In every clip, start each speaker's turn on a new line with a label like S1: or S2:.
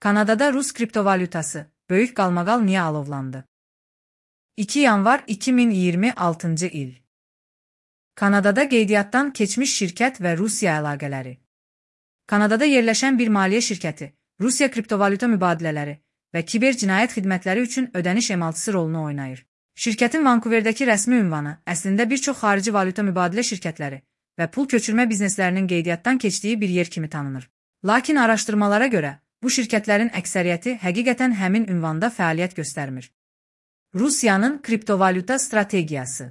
S1: Kanadada Rus kriptovalyutası, böyük qalmaqal niyə alovlandı? 2 yanvar 2026 il. Kanadada qeydiyyatdan keçmiş şirkət və Rusiya əlaqələri. Kanadada yerləşən bir maliyyə şirkəti, Rusiya kriptovalyuta mübadilələri və kiber cinayət xidmətləri üçün ödəniş emaltısı rolunu oynayır. Şirkətin Vankuverdəki rəsmi ünvanı əslində bir çox xarici valyuta mübadilə şirkətləri və pul köçürmə bizneslərinin qeydiyyatdan keçdiyi bir yer kimi tanınır. Lakin araşdırmalara görə, bu şirkətlərin əksəriyyəti həqiqətən həmin ünvanda fəaliyyət göstərmir. Rusiyanın kriptovalyuta strategiyası.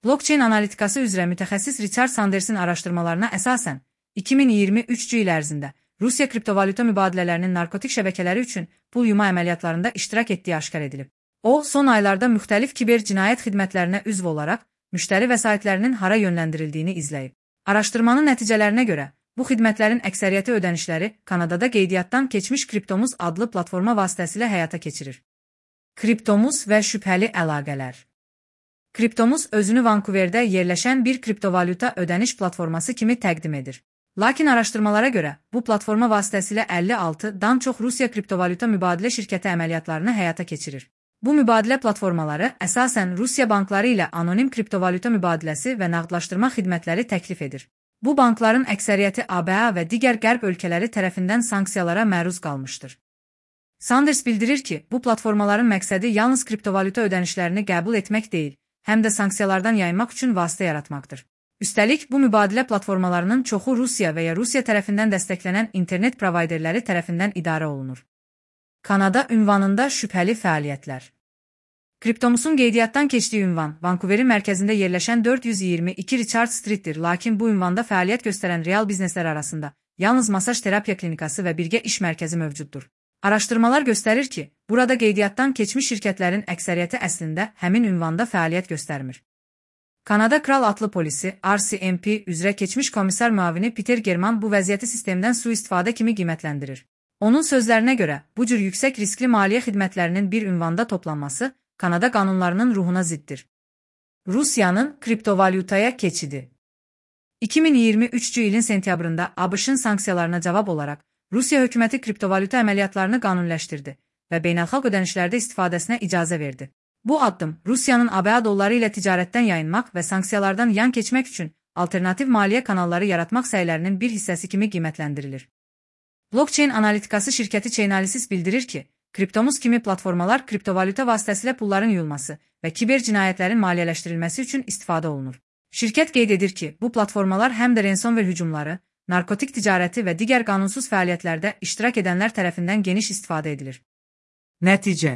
S1: Blockchain analitikası üzrə mütəxəssis Richard Sanders'in araşdırmalarına əsasən, 2023 il ərzində Rusiya kriptovalyuta mübadilələrinin narkotik şəbəkələri üçün pul yuma əməliyyatlarında iştirak etdiyi aşkar edilib. O, son aylarda müxtəlif kiber cinayət xidmətlərinə üzv olaraq, müştəri vəsaitlərinin hara yönləndirildiyini izləyib. Araşdırmanın nəticələrinə görə, bu xidmətlərin əksəriyyəti ödənişləri Kanadada qeydiyyatdan keçmiş Kriptomuz adlı platforma vasitəsilə həyata keçirir. Kriptomuz və şübhəli əlaqələr. Kriptomuz özünü Vankuverdə yerləşən bir kriptovalyuta ödəniş platforması kimi təqdim edir. Lakin araşdırmalara görə, bu platforma vasitəsilə 56-dan çox Rusiya kriptovalyuta mübadilə şirkəti əməliyyatlarını həyata keçirir. Bu mübadilə platformaları əsasən Rusiya bankları ilə anonim kriptovalyuta mübadiləsi və nağdlaşdırma xidmətləri təklif edir. Bu bankların əksəriyyəti ABA və digər qərb ölkələri tərəfindən sanksiyalara məruz qalmışdır. Sanders bildirir ki, bu platformaların məqsədi yalnız kriptovalyuta ödənişlərini qəbul etmək deyil, həm də sanksiyalardan yayınmaq üçün vasitə yaratmaqdır. Üstəlik, bu mübadilə platformalarının çoxu Rusiya və ya Rusiya tərəfindən dəstəklənən internet provayderləri tərəfindən idarə olunur. Kanada ünvanında şübhəli fəaliyyətlər. Kriptomuzun qeydiyyatdan keçdiyi ünvan, Vankuverin mərkəzində yerləşən 422 Richard Street'dir, lakin bu ünvanda fəaliyyət göstərən real bizneslər arasında yalnız masaj terapiya klinikası və birgə iş mərkəzi mövcuddur. Araşdırmalar göstərir ki, burada qeydiyyatdan keçmiş şirkətlərin əksəriyyəti əslində həmin ünvanda fəaliyyət göstərmir. Kanada Kral Atlı Polisi, RCMP üzrə keçmiş komissar müavini Peter German bu vəziyyəti sistemdən sui-istifadə kimi qiymətləndirir. Onun sözlərinə görə, bu cür yüksək riskli maliyyə xidmətlərinin bir ünvanda toplanması Kanada qanunlarının ruhuna ziddir. Rusiyanın kriptovalyutaya keçidi. 2023 ilin sentyabrında ABŞ-ın sanksiyalarına cavab olaraq, Rusiya hökuməti kriptovalyuta əməliyyatlarını qanuniləşdirdi və beynəlxalq ödənişlərdə istifadəsinə icazə verdi. Bu addım Rusiyanın ABA dolları ilə ticarətdən yayınmaq və sanksiyalardan yan keçmək üçün alternativ maliyyə kanalları yaratmaq səylərinin bir hissəsi kimi qiymətləndirilir. Blockchain analitikası şirkəti Chainalysis bildirir ki, Kriptomuz kimi platformalar kriptovalyuta vasitəsilə pulların yuyulması və kiber cinayətlərin maliyyələşdirilməsi üçün istifadə olunur. Şirkət qeyd edir ki, bu platformalar həm də ransomware hücumları, narkotik ticarəti və digər qanunsuz fəaliyyətlərdə iştirak edənlər tərəfindən geniş istifadə edilir. Nəticə.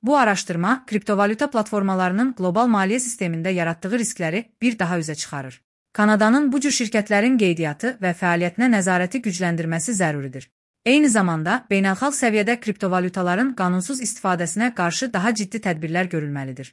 S1: Bu araşdırma kriptovalyuta platformalarının qlobal maliyyə sistemində yaratdığı riskləri bir daha üzə çıxarır. Kanadanın bu cür şirkətlərin qeydiyyatı və fəaliyyətinə nəzarəti gücləndirməsi zəruridir. Eyni zamanda, beynəlxalq səviyyədə kriptovalyutaların qanunsuz istifadəsinə qarşı daha ciddi tədbirlər görülməlidir.